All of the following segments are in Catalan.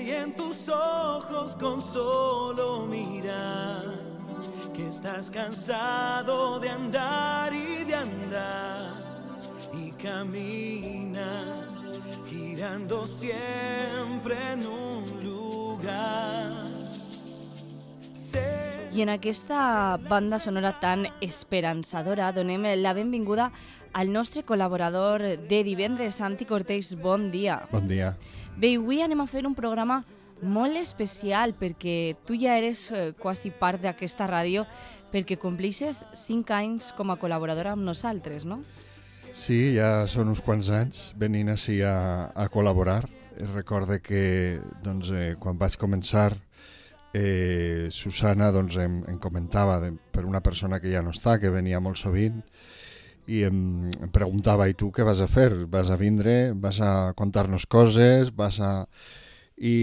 y en tus ojos con solo mirar que estás cansado de andar y camina girando siempre en un lugar. I en aquesta banda sonora tan esperançadora donem la benvinguda al nostre col·laborador de divendres, Santi Cortés. Bon dia. Bon dia. Bé, avui anem a fer un programa molt especial perquè tu ja eres quasi part d'aquesta ràdio perquè complixes 5 anys com a col·laboradora amb nosaltres, no? Sí, ja són uns quants anys venint així a col·laborar. Recorde que doncs, quan vaig començar Susana doncs, em comentava per una persona que ja no està, que venia molt sovint, i em preguntava, i tu què vas a fer? Vas a vindre? Vas a contar-nos coses? I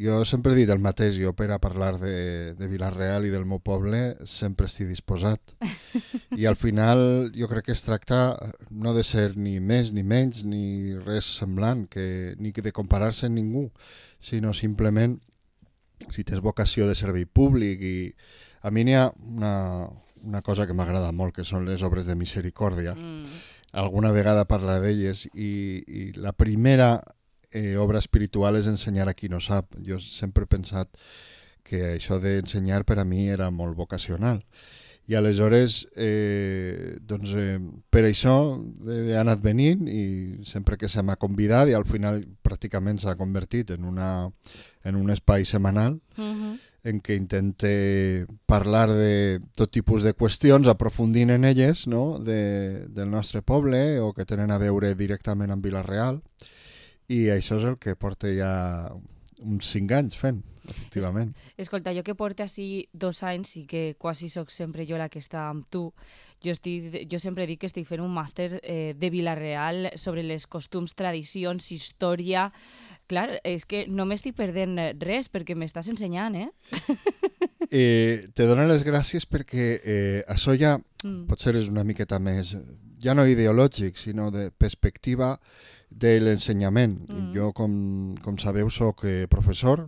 jo sempre he dit el mateix, jo per a parlar de Vila-real i del meu poble sempre estic disposat. I al final jo crec que es tracta no de ser ni més ni menys ni res semblant, ni de comparar-se amb ningú, sinó simplement si tens vocació de servei públic. I a mi n'hi ha una cosa que m'agrada molt, que són les obres de misericòrdia. Alguna vegada parla d'elles i la primera obra espiritual és ensenyar a qui no sap. Jo sempre he pensat que això d'ensenyar per a mi era molt vocacional. I aleshores, per això he anat venint i sempre que se m'ha convidat, i al final pràcticament s'ha convertit en un espai setmanal en què intente parlar de tot tipus de qüestions, aprofundint en elles, no? del nostre poble o que tenen a veure directament amb Vila-real. I això és el que porta ja uns 5 anys fent, efectivament. Escolta, jo que porto així 2 anys i que quasi soc sempre jo la que està amb tu, jo sempre dic que estic fent un màster de Vila-real sobre les costums, tradicions, història. Clar, és que no m'estic perdent res perquè m'estàs ensenyant, Te dono les gràcies perquè això ja potser és una miqueta més, ja no ideològic, sinó de perspectiva de l'ensenyament. Jo, com sabeu, soc professor.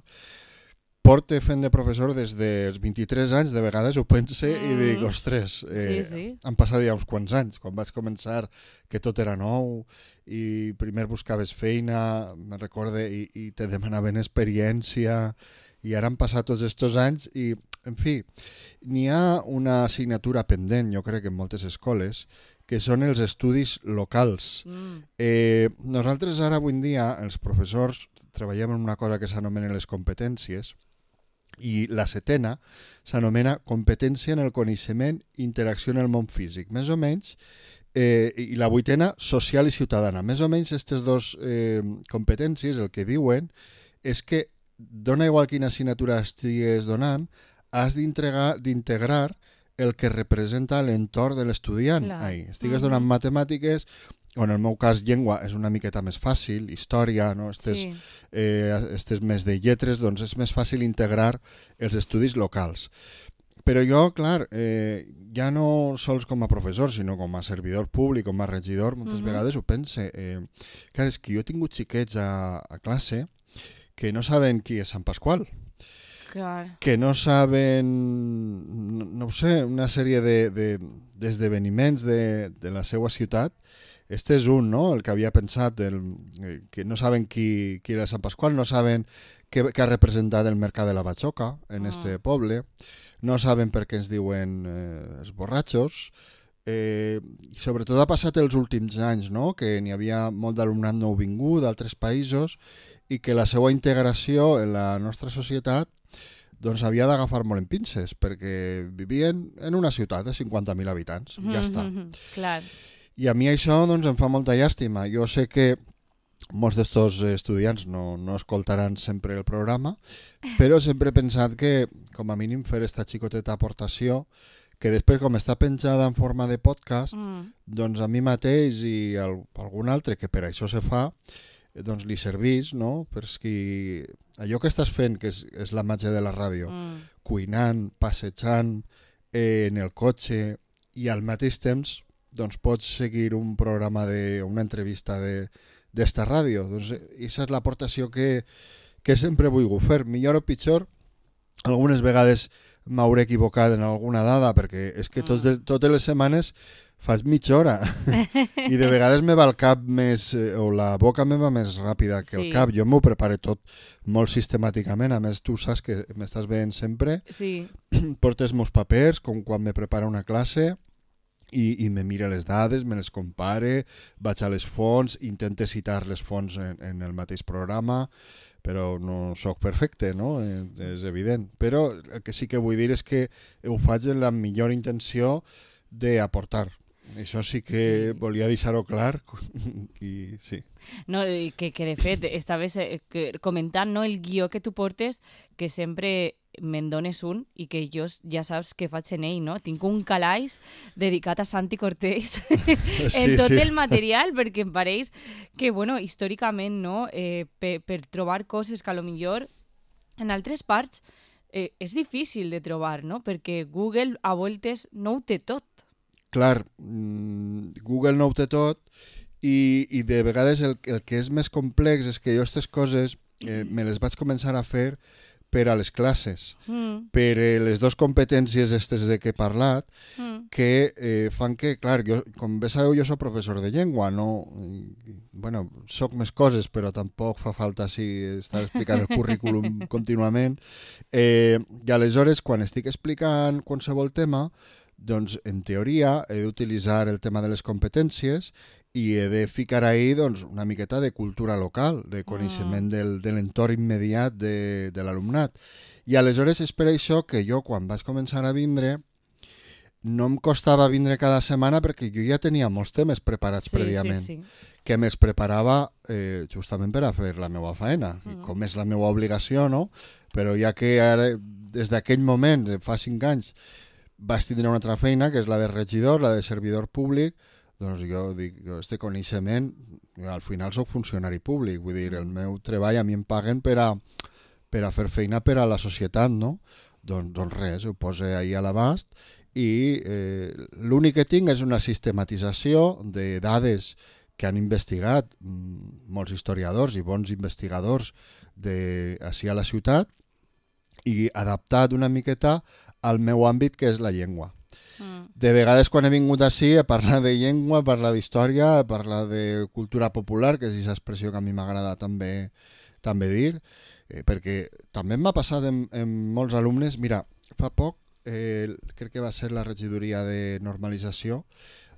Porto fent de professor des dels 23 anys, de vegades ho pense i dic, ostres, han passat ja uns quants anys. Quan vaig començar que tot era nou i primer buscaves feina, me'n recorde, i te demanaven experiència, i ara han passat tots aquests anys i, en fi, n'hi ha una assignatura pendent, jo crec, en moltes escoles, que són els estudis locals. Nosaltres ara, avui en dia, els professors, treballem en una cosa que s'anomena les competències, i la 7a s'anomena competència en el coneixement i interacció en el món físic. Més o menys, i la 8a, social i ciutadana. Més o menys, aquestes dues competències, el que diuen és que, dona igual quina assignatura estigues donant, has d'integrar el que representa l'entorn de l'estudiant. Estigues donant matemàtiques, o en el meu cas llengua és una miqueta més fàcil, història, no? Estes més de lletres, doncs és més fàcil integrar els estudis locals. Però jo, clar, ja no sols com a professor, sinó com a servidor públic, com a regidor, moltes vegades ho pense. Clar, és que jo he tingut xiquets a classe que no saben qui és Sant Pasqual. Clar. Que no saben, no ho sé, una sèrie d'esdeveniments de la seva ciutat. Este és un, no?, el que havia pensat, que no saben qui era Sant Pasqual, no saben què ha representat el mercat de la Batxoca en este poble, no saben per què ens diuen els borratxos, i sobretot ha passat els últims anys, no?, que n'hi havia molt d'alumnat nouvingut d'altres països i que la seva integració en la nostra societat doncs havia d'agafar molt en pinces, perquè vivien en una ciutat de 50.000 habitants, ja està. Clar. I a mi això doncs, em fa molta llàstima. Jo sé que molts d'estos estudiants no escoltaran sempre el programa, però sempre he pensat que, com a mínim, fer esta xicoteta aportació, que després, com està penjada en forma de podcast, doncs a mi mateix i a algun altre, que per això se fa, doncs li servís, no? Perquè allò que estàs fent, que és la màgia de la ràdio, cuinant, passejant, en el cotxe, i al mateix temps doncs pots seguir un programa una entrevista d'esta ràdio. Doncs aquesta és l'aportació que que sempre vull fer, millor o pitjor. Algunes vegades m'hauré equivocat en alguna dada, perquè és que totes les setmanes faig mitja hora i de vegades me va el cap més, o la boca me va més ràpida que el cap. Jo m'ho preparo tot molt sistemàticament, a més tu saps que m'estàs veient sempre, portes meus papers com quan me prepara una classe i me mira les dades, me les compare, vaig a les fonts, intente citar les fonts en el mateix programa, però no sóc perfecte, no? És evident. Però el que sí que vull dir és que ho faig amb la millor intenció d'aportar. Això sí que volia deixar-ho clar i sí. No, que de fet estaves comentant, no, el guió que tu portes, que sempre me'n dones un i que jo ja saps què faig en ell, no? Tinc un calaix dedicat a Santi Cortés en tot el material, perquè em pareix que, bueno, històricament, no, per trobar coses que a lo millor en altres parts és difícil de trobar, no? Perquè Google a voltes no ho té tot. Clar, Google no ho té tot i de vegades el que és més complex és que jo aquestes coses me les vaig començar a fer per a les classes, per les dues competències aquestes de què he parlat, que fan que, clar, jo, com bé sabeu, jo soc professor de llengua, no... Bueno, soc més coses, però tampoc fa falta estar explicant el currículum contínuament. I aleshores, quan estic explicant qualsevol tema, doncs, en teoria, he d'utilitzar el tema de les competències i he de ficar ahí doncs, una miqueta de cultura local, de coneixement de l'entorn immediat de l'alumnat. I aleshores és per això que jo, quan vaig començar a vindre, no em costava vindre cada setmana perquè jo ja tenia molts temes preparats prèviament, que me'ls preparava justament per a fer la meva feina, i com és la meva obligació, no? Però ja que ara, des d'aquell moment, fa 5 anys, vaig tindre una altra feina, que és la de regidor, la de servidor públic, doncs jo dic, este coneixement, al final soc funcionari públic, vull dir, el meu treball a mi em paguen per a fer feina per a la societat, no? Doncs res, ho poso ahí a l'abast i l'únic que tinc és una sistematització de dades que han investigat molts historiadors i bons investigadors d'ací a la ciutat i adaptat una miqueta al meu àmbit, que és la llengua. De vegades, quan he vingut ací a parlar de llengua, a parlar d'història, a parlar de cultura popular, que és aquesta expressió que a mi m'agrada també dir, perquè també m'ha passat en molts alumnes. Mira, fa poc, crec que va ser la regidoria de normalització,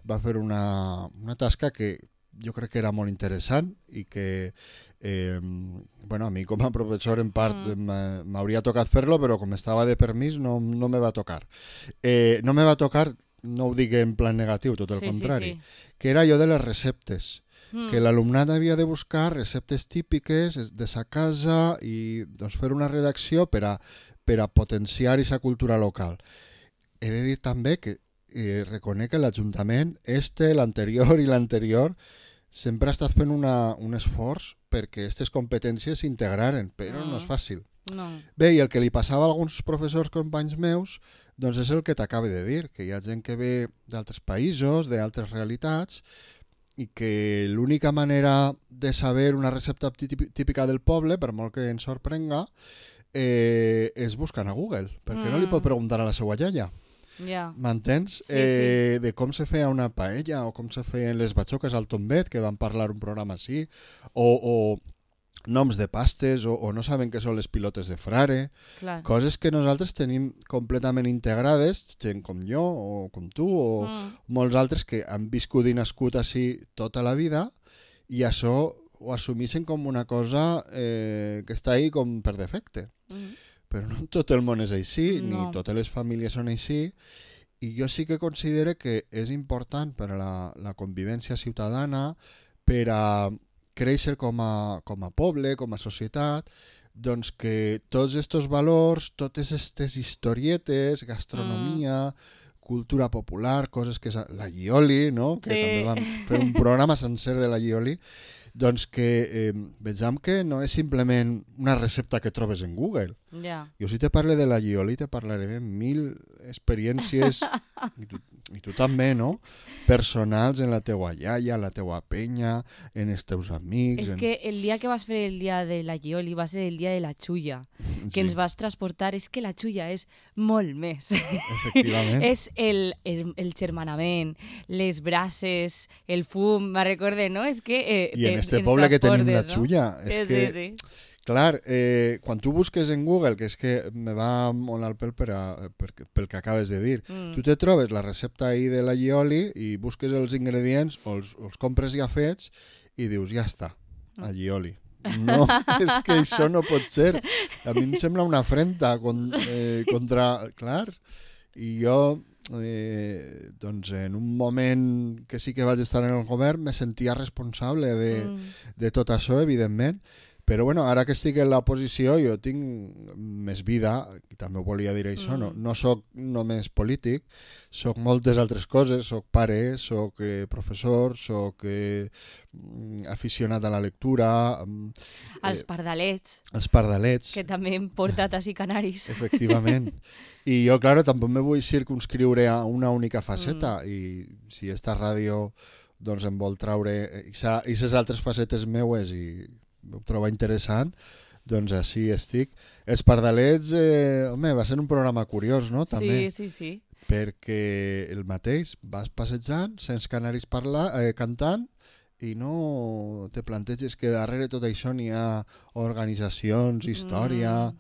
va fer una tasca que jo crec que era molt interessant i que bueno, a mi com a professor en part m'hauria tocat fer-lo, però com estava de permís no me va tocar. No me va tocar, no ho dic en plan negatiu, tot el contrari, que era allò de les receptes, que l'alumnat havia de buscar receptes típiques de sa casa i doncs, fer una redacció per a potenciar aquesta cultura local. He de dir també que reconec que l'Ajuntament, l'anterior i l'anterior, sempre ha estat fent un esforç perquè aquestes competències s'integraren, però no és fàcil. No. Bé, i el que li passava a alguns professors companys meus, doncs és el que t'acabo de dir, que hi ha gent que ve d'altres països, d'altres realitats, i que l'única manera de saber una recepta típica del poble, per molt que ens sorprenga, és buscant a Google, perquè no li pot preguntar a la seva iaia. M'entens? De com se feia una paella o com se feien les batxoques al tombet, que van parlar un programa així, o noms de pastes, o no saben què són les pilotes de frare. Clar. Coses que nosaltres tenim completament integrades, gent com jo o com tu, o molts altres que han viscut i nascut així tota la vida, i això ho assumeixen com una cosa que està ahí com per defecte. Però no tot el món és així, ni totes les famílies són així, i jo sí que considero que és important per a la convivència ciutadana, per a créixer com a poble, com a societat, doncs que tots aquests valors, totes aquestes historietes, gastronomia, cultura popular, coses que... La Llioli, no? Que també vam fer un programa sencer de la Llioli, doncs que vegem que no és simplement una recepta que trobes en Google. Jo si te parle de la Llioli te parlaré de 1000 experiències i tu també, no? Personals en la teua iaia, en la teua penya, en els teus amics... És que el dia que vas fer el dia de la Gioli va ser el dia de la xulla, que ens vas transportar. És que la xulla és molt més. Efectivament. És el germanament, les braces, el fum, me recorde, no? És que... I en este poble que tenim la xulla, és que... Sí. Clar, quan tu busques en Google, que és que me va molt al pèl pel que acabes de dir, tu te trobes la recepta ahí de la Gioli i busques els ingredients o els compres ja fets i dius, ja està, a Gioli. No, és que això no pot ser. A mi em sembla una afrenta contra... Clar, i jo... doncs en un moment que sí que vaig estar en el govern me sentia responsable de tot això, evidentment. Però bueno, ara que estic en la posició jo tinc més vida, i també ho volia dir això, no soc només polític, soc moltes altres coses, soc pare, soc professor, soc aficionat a la lectura... Els pardalets. Els pardalets. Que també hem portat així canaris. Efectivament. I jo, claro, tampoc me vull circunscriure a una única faceta, i si esta ràdio doncs, em vol traure aquestes altres facetes meues i ho trobo interessant, doncs així estic. Els pardalets, home, va ser un programa curiós, no? També. Sí. Perquè el mateix, vas passejant, sents canaris cantant, i no te planteges que darrere tot això n'hi ha organitzacions, història...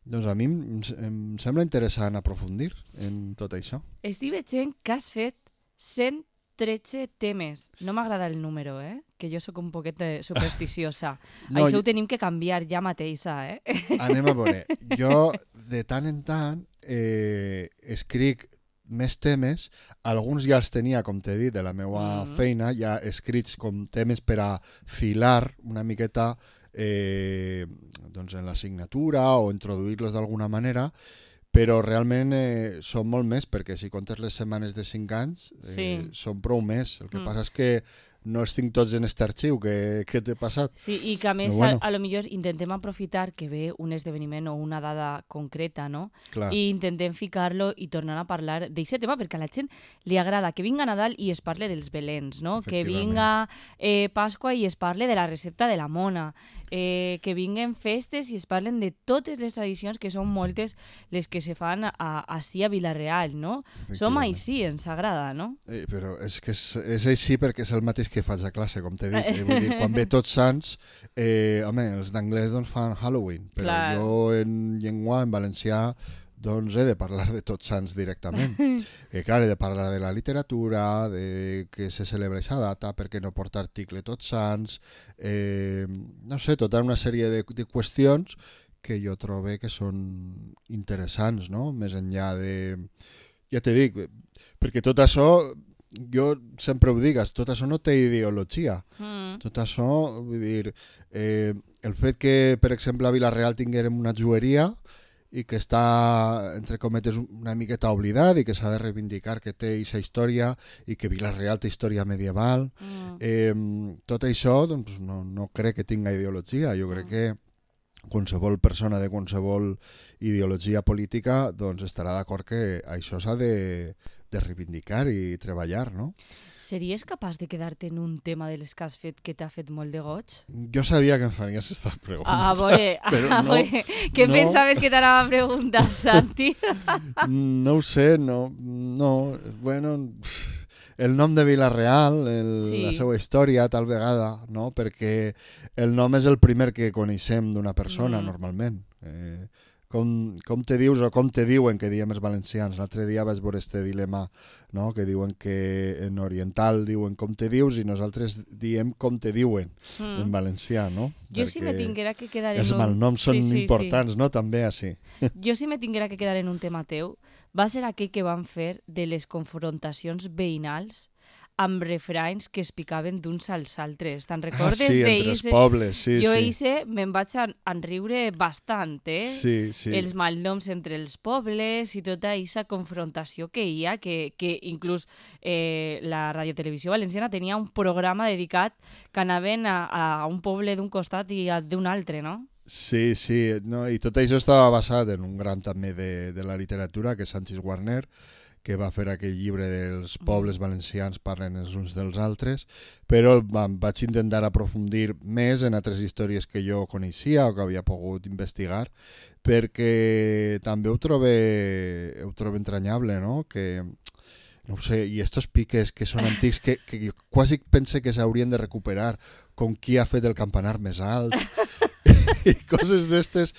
Doncs a mi em sembla interessant aprofundir en tot això. Estic veient que has fet 113 temes. No m'agrada el número, que jo sóc un poquet supersticiosa. No, això ho tenim que canviar ja mateixa, Anem a veure. Jo, de tant en tant, escric més temes. Alguns ja els tenia, com t'he dit, de la meva feina, ja escrits com temes per a filar una miqueta doncs en l'assignatura o introduir-los d'alguna manera, però realment són molt més, perquè si comptes les setmanes de 5 anys són prou més. El que passa és que no els tinc tots en aquest arxiu que t'he passat. Sí, i que a més bueno. a lo millor intentem aprofitar que ve un esdeveniment o una dada concreta, no? Clar. I intentem ficar-lo i tornar a parlar d'aquest tema, perquè a la gent li agrada que vinga Nadal i es parle dels belens, no? Que vinga Pasqua i es parle de la recepta de la mona, que vinguen festes i es parlen de totes les tradicions, que són moltes les que se fan així a Vila-real, no? Som així, ens agrada, no? Però és que és així perquè és el mateix que faig a classe, com t'he dit. Vull dir, quan ve Tots Sants, home, els d'anglès doncs, fan Halloween, però jo en llengua, en valencià, doncs he de parlar de Tots Sants directament. Clar, he de parlar de la literatura, de que se celebra aquesta data, perquè no porta article Tots Sants, no sé, tota una sèrie de qüestions que jo trobo que són interessants, no? Més enllà de... Ja t'he dit, perquè tot això... Jo sempre ho digues, tot això no té ideologia. Tot això, vull dir, el fet que, per exemple, a Vila-real tinguérem una joieria i que està, entre cometes, una miqueta oblidat i que s'ha de reivindicar que té aquesta història i que Vila-real té història medieval, tot això doncs, no crec que tinga ideologia. Jo crec que qualsevol persona de qualsevol ideologia política doncs, estarà d'acord que això s'ha de reivindicar i treballar, no? Series capaç de quedar-te en un tema de les que has fet que t'ha fet molt de goig? Jo sabia que em faries aquesta pregunta. A veure, què pensaves que t'anava a preguntar, Santi? No ho sé, no. Bueno, el nom de Vila-real, la seva història, tal vegada, no? Perquè el nom és el primer que coneixem d'una persona, normalment. Com te dius o com te diuen, que diem els valencians. L'altre dia vaig veure este dilema, no? Que diuen que en oriental diuen com te dius i nosaltres diem com te diuen en valencià, no? Jo perquè sí me tinguera que quedar en els malnoms són importants, no? També així. Jo sí me tinguera que quedar en un tema teu, va ser aquell que van fer de les confrontacions veïnals amb refranys que es picaven d'uns als altres. Te'n recordes? Sí, entre els pobles, sí. Jo me'n vaig enriure bastant, Sí. Els malnoms entre els pobles i tota aquesta confrontació que hi ha, que inclús la Radiotelevisió Valenciana tenia un programa dedicat que anaven a un poble d'un costat i d'un altre, no? Sí, no, i tot això estava basat en un gran també de la literatura, que és Sanchis Warner, que va fer aquell llibre dels pobles valencians parlen els uns dels altres, però vaig intentar aprofundir més en altres històries que jo coneixia o que havia pogut investigar, perquè també ho trobo entranyable, no? Que no ho sé, i estos piques que són antics que jo quasi pense que s'haurien de recuperar, com qui ha fet el campanar més alt i coses d'estes.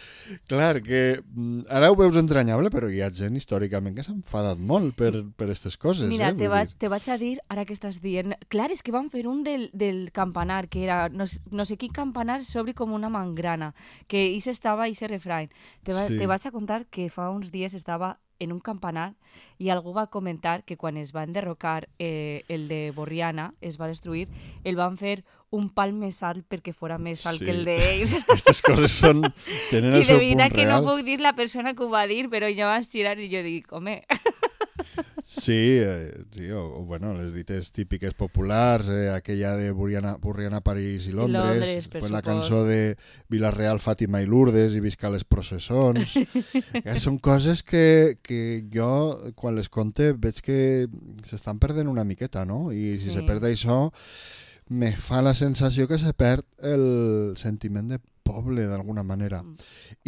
Clar, que ara ho veus entranyable, però hi ha gent històricament que s'ha enfadat molt per aquestes coses. Mira, te vaig a dir, ara que estàs dient... Clar, és que van fer un del campanar, que era no sé quin campanar s'obri com una mangrana, que ese refrany. Te vaig a contar que fa uns dies estava en un campanar i algú va comentar que quan es va enderrocar el de Borriana, es va destruir, el van fer un pal més alt perquè fora més alt que el d'ells. Aquestes coses tenen el seu punt real. I de veritat que no puc dir la persona que ho va dir, però jo vaig girar i jo dic, home... Sí, bueno, les dites típiques populars, aquella de Borriana, París i Londres, pues la cançó de Vila-real, Fàtima i Lourdes i visca les processons. Són coses que jo, quan les conte, veig que s'estan perdent una miqueta, no? I si se perd això, me fa la sensació que se perd el sentiment de poble, d'alguna manera.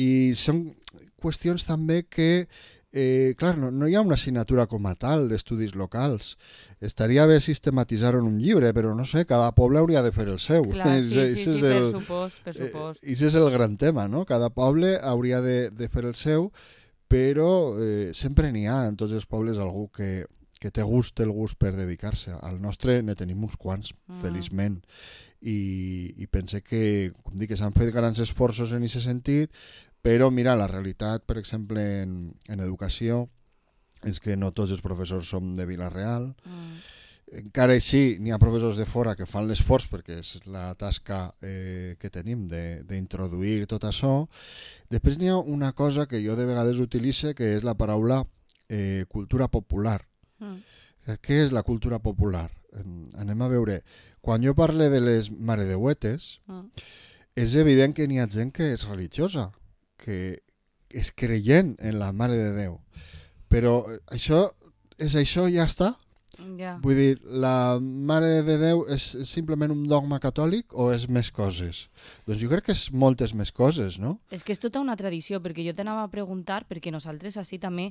I són qüestions també que clar, no hi ha una assignatura com a tal d'estudis locals. Estaria bé sistematitzar-ho en un llibre, però no sé, cada poble hauria de fer el seu. Clar, sí, per supost. I ese és el gran tema, no? Cada poble hauria de fer el seu, però sempre n'hi ha en tots els pobles algú que té el gust per dedicar-se. Al nostre ne tenim uns quants, feliçment. I pense que, com dic, s'han fet grans esforços en aquest sentit, però mira, la realitat, per exemple, en educació, és que no tots els professors som de Vila-real. Encara així, n'hi ha professors de fora que fan l'esforç, perquè és la tasca que tenim d'introduir tot això. Després n'hi ha una cosa que jo de vegades utilitzo, que és la paraula cultura popular. Què és la cultura popular? Anem a veure. Quan jo parlo de les maredeuetes, és evident que n'hi ha gent que és religiosa, que és creient en la Mare de Déu. Però això ja està? Yeah. Vull dir, la Mare de Déu és simplement un dogma catòlic o és més coses? Doncs jo crec que és moltes més coses, no? És que és tota una tradició, perquè jo t'anava a preguntar, perquè nosaltres així també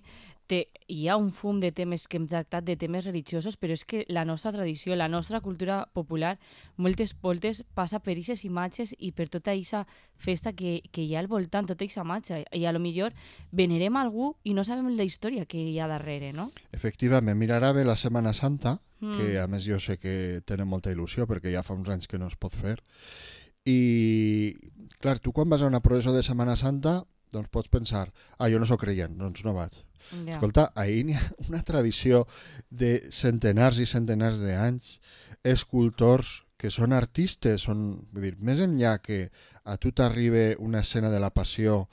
hi ha un fum de temes que hem tractat, de temes religiosos, però és que la nostra tradició, la nostra cultura popular, moltes voltes passa per aquestes imatges i per tota aquesta festa que hi ha al voltant, tota aquesta imatge. I a lo millor venerem algú i no sabem la història que hi ha darrere, no? Efectivament, mira, ara ve la Setmana Santa, que a més jo sé que tenen molta il·lusió perquè ja fa uns anys que no es pot fer. I, clar, tu quan vas a una processó de Setmana Santa, doncs pots pensar, jo no sóc creient, doncs no vaig. Yeah. Escolta, ahir n'hi ha una tradició de centenars i centenars d'anys, escultors que són artistes, vull dir, més enllà que a tu t'arriba una escena de la passió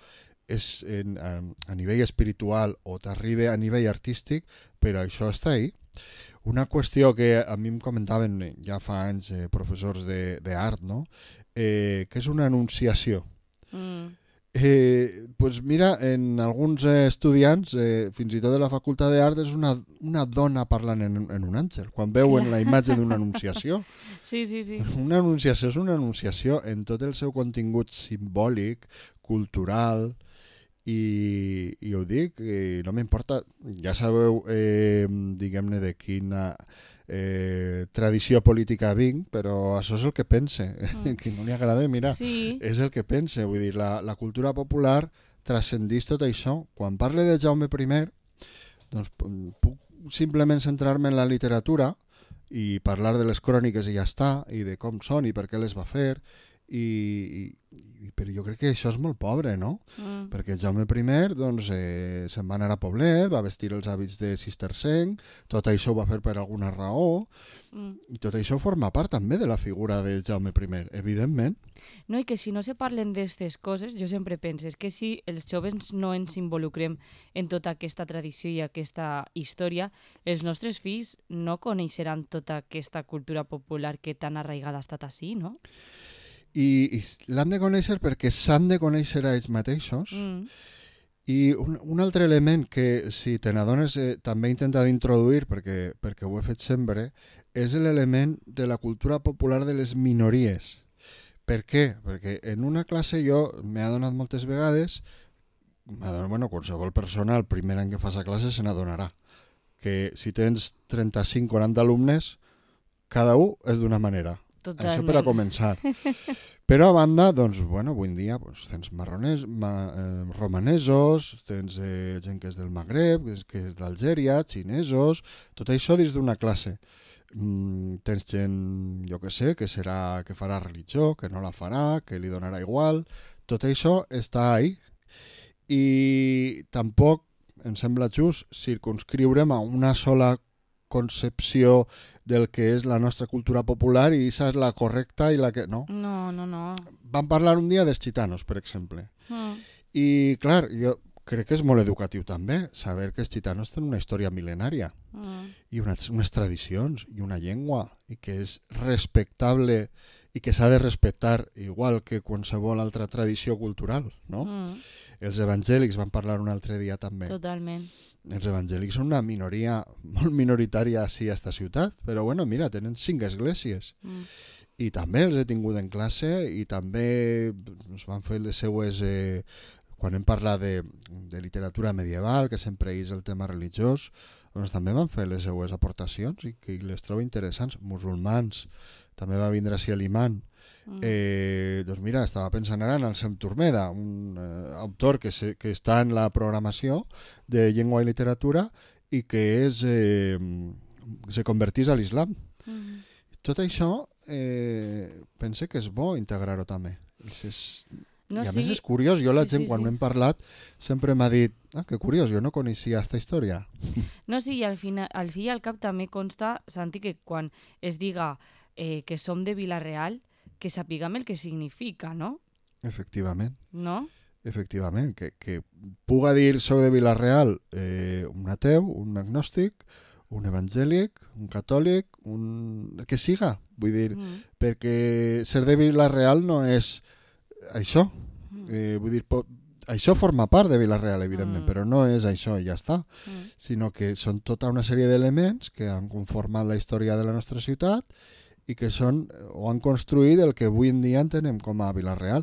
és a nivell espiritual o t'arriba a nivell artístic, però això està ahí. Una qüestió que a mi em comentaven ja fa anys professors d'art, no? Que és una anunciació. Pues mira, en alguns estudiants, fins i tot de la facultat d'art, és una dona parlant en un àngel, quan veuen la imatge d'una anunciació. Sí. Una anunciació és una anunciació en tot el seu contingut simbòlic, cultural, i ho dic, no m'importa, ja sabeu, diguem-ne, de quina tradició política vinc, però això és el que pense. Que no li agrada, mira, és el que pense. Vull dir, la cultura popular transcendís tot això. Quan parle de Jaume I, doncs puc simplement centrar-me en la literatura i parlar de les cròniques i ja està, i de com són i per què les va fer, però jo crec que això és molt pobre, no? Perquè Jaume I doncs, se'n va anar a Poblet, va vestir els hàbits de cistercenc, tot això ho va fer per alguna raó, i tot això forma part també de la figura de Jaume I, evidentment. No, i que si no se parlen d'aquestes coses, jo sempre penso que si els joves no ens involucrem en tota aquesta tradició i aquesta història, els nostres fills no coneixeran tota aquesta cultura popular que tan arraigada ha estat així, no? I l'han de conèixer perquè s'han de conèixer a ells mateixos I un altre element que, si te n'adones, també he intentat introduir, perquè ho he fet sempre, és l'element de la cultura popular de les minories. Per què? Perquè en una classe jo m'he adonat moltes vegades, qualsevol persona el primer any que fas a classe se n'adonarà, que si tens 35-40 alumnes, cada un és d'una manera. Totalment. Això per a començar. Però a banda, doncs, avui en dia tens romanesos, tens gent que és del Magreb, que és d'Algèria, xinesos, tot això dins d'una classe. Tens gent, jo que sé, que farà religió, que no la farà, que li donarà igual. Tot això està ahí. I tampoc em sembla just circunscriure'm a una sola concepció del que és la nostra cultura popular i aquesta és la correcta i la que... No. Vam parlar un dia dels gitanos, per exemple. I, clar, jo crec que és molt educatiu també saber que els gitanos tenen una història mil·lenària i unes tradicions i una llengua i que és respectable i que s'ha de respectar igual que qualsevol altra tradició cultural, no? Els evangèlics van parlar un altre dia també. Totalment. Els evangèlics són una minoria molt minoritària a esta ciutat, però mira, tenen 5 esglésies. I també els he tingut en classe i també ens van fer les seues... quan hem parlat de literatura medieval, que sempre és el tema religiós, doncs també van fer les seues aportacions i que les trobo interessants. Musulmans, també va vindre així l'imam. Doncs mira, estava pensant ara en el Sem Turmeda, un autor que està en la programació de llengua i literatura i que se convertís a l'islam. Tot això pense que és bo integrar-ho també. I a més és curiós, jo la gent quan hem parlat sempre m'ha dit que curiós, jo no coneixia aquesta història. No, sí, i al fi i al cap també consta, Santi, que quan es diga que som de Vila-real, que sapiguem el que significa, no? Efectivament. No? Efectivament, que puga dir soc de Vila-real un ateu, un agnòstic, un evangèlic, un catòlic, el que siga, vull dir, perquè ser de Vila-real no és això, vull dir, això forma part de Vila-real, evidentment, però no és això i ja està, sinó que són tota una sèrie d'elements que han conformat la història de la nostra ciutat i que són o han construït el que avui en dia entenem com a Vila-real.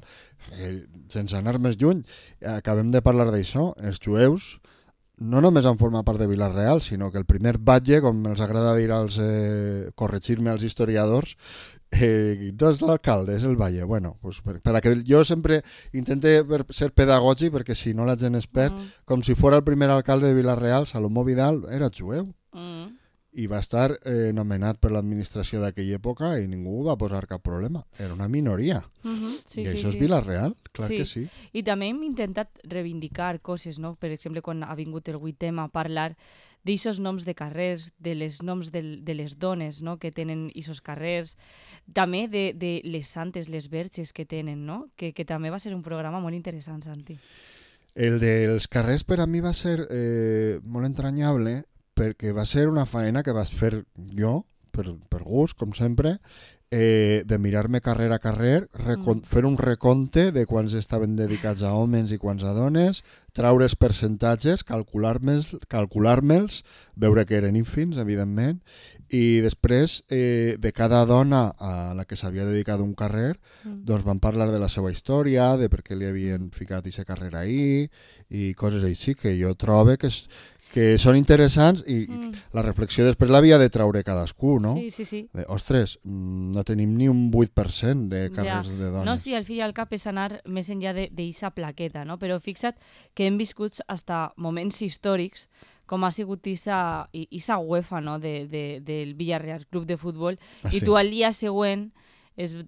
Sense anar més lluny, acabem de parlar d'això, els jueus no només han format part de Vila-real, sinó que el primer batlle, com els agrada dir corregir-me als historiadors, no és l'alcalde, és el batlle. Bueno, pues per a que jo sempre intente ser pedagògic, perquè si no la gent es perd, com si fos el primer alcalde de Vila-real, Salomó Vidal, era jueu. I va estar nomenat per l'administració d'aquella època i ningú va posar cap problema. Era una minoria. I això és Vila-real, clar que sí. I també hem intentat reivindicar coses, no? Per exemple, quan ha vingut el 8 a parlar d'aixos noms de carrers, de les noms de les dones, no? Que tenen aquests carrers, també de les santes, les verges que tenen, no? Que també va ser un programa molt interessant, Santi. El dels carrers per a mi va ser molt entranyable, perquè va ser una faena que vas fer jo, per gust, com sempre, de mirar-me carrer a carrer, fer un recompte de quants estaven dedicats a homes i quants a dones, traure els percentatges, calcular-me'ls, veure que eren ínfims, evidentment, i després de cada dona a la que s'havia dedicat un carrer, doncs van parlar de la seva història, de per què li havien ficat aquesta carrera ahí, i coses així que jo trobo que són interessants i la reflexió després l'havia de traure cadascú, no? Sí. Ostres, no tenim ni un 8% de carrers de dones. No, sí, al fi i al cap és anar més enllà d'aquesta plaqueta, no? Però fixa't que hem viscut fins moments històrics com ha sigut aquesta UEFA, no? del Villarreal Club de Futbol, i tu al dia següent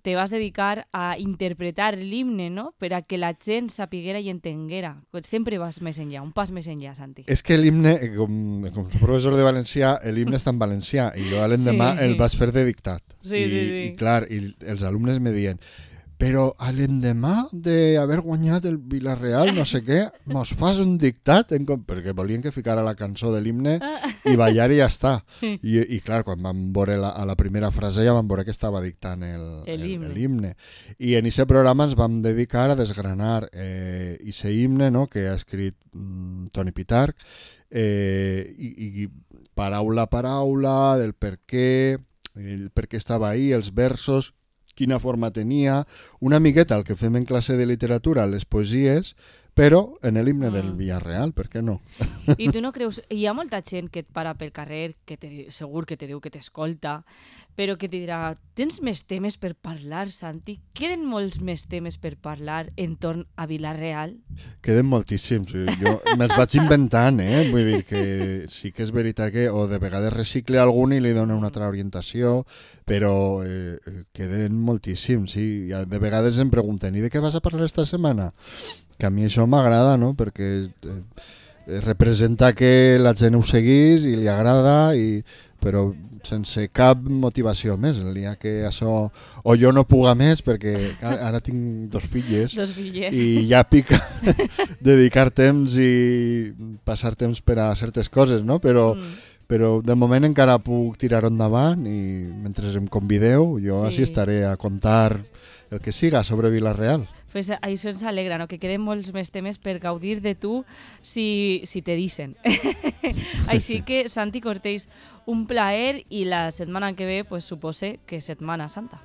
te vas dedicar a interpretar l'himne, no? Per a que la gent sapiguera i entenguera. Sempre vas més enllà, un pas més enllà, Santi. És que l'himne, com professor de valencià, l'himne està en valencià i jo l'endemà el vaig fer de dictat. Sí. I clar, i els alumnes me diuen però a l'endemà d'haver guanyat el Villarreal, no sé què, mos fas un dictat, perquè volien que ficara la cançó de l'himne i ballar i ja està. I clar, quan vam veure a la primera frase ja vam veure que estava dictant l'himne. I en aquest programa ens vam dedicar a desgranar aquest himne, no?, que ha escrit Toni Pitarch, i paraula a paraula del per què estava ahí, els versos, quina forma tenia, una miqueta el que fem en classe de literatura, les poesies, però en l'himne del Villarreal, per què no? I tu no creus... Hi ha molta gent que et para pel carrer, segur que te diu que t'escolta, però que te dirà, tens més temes per parlar, Santi? Queden molts més temes per parlar entorn a Villarreal? Queden moltíssims. Jo me'ls vaig inventant, Vull dir que sí que és veritat que o de vegades recicle algun i li dona una altra orientació, però queden moltíssims, sí. De vegades em pregunten, i de què vas a parlar esta setmana? Que a mi això m'agrada, no?, perquè representa que la gent ho seguís i li agrada, però sense cap motivació més. El dia que això... O jo no puga més, perquè ara tinc dos filles. I ja pica dedicar temps i passar temps per a certes coses, no? Però de moment encara puc tirar endavant i mentre em convideu jo així estaré a contar el que siga sobre Villarreal. Pues això ens alegra, no? Que queden molts més temes per gaudir de tu si te dicen. Així que, Santi Cortells, un plaer i la setmana que ve, pues, supose que Setmana Santa.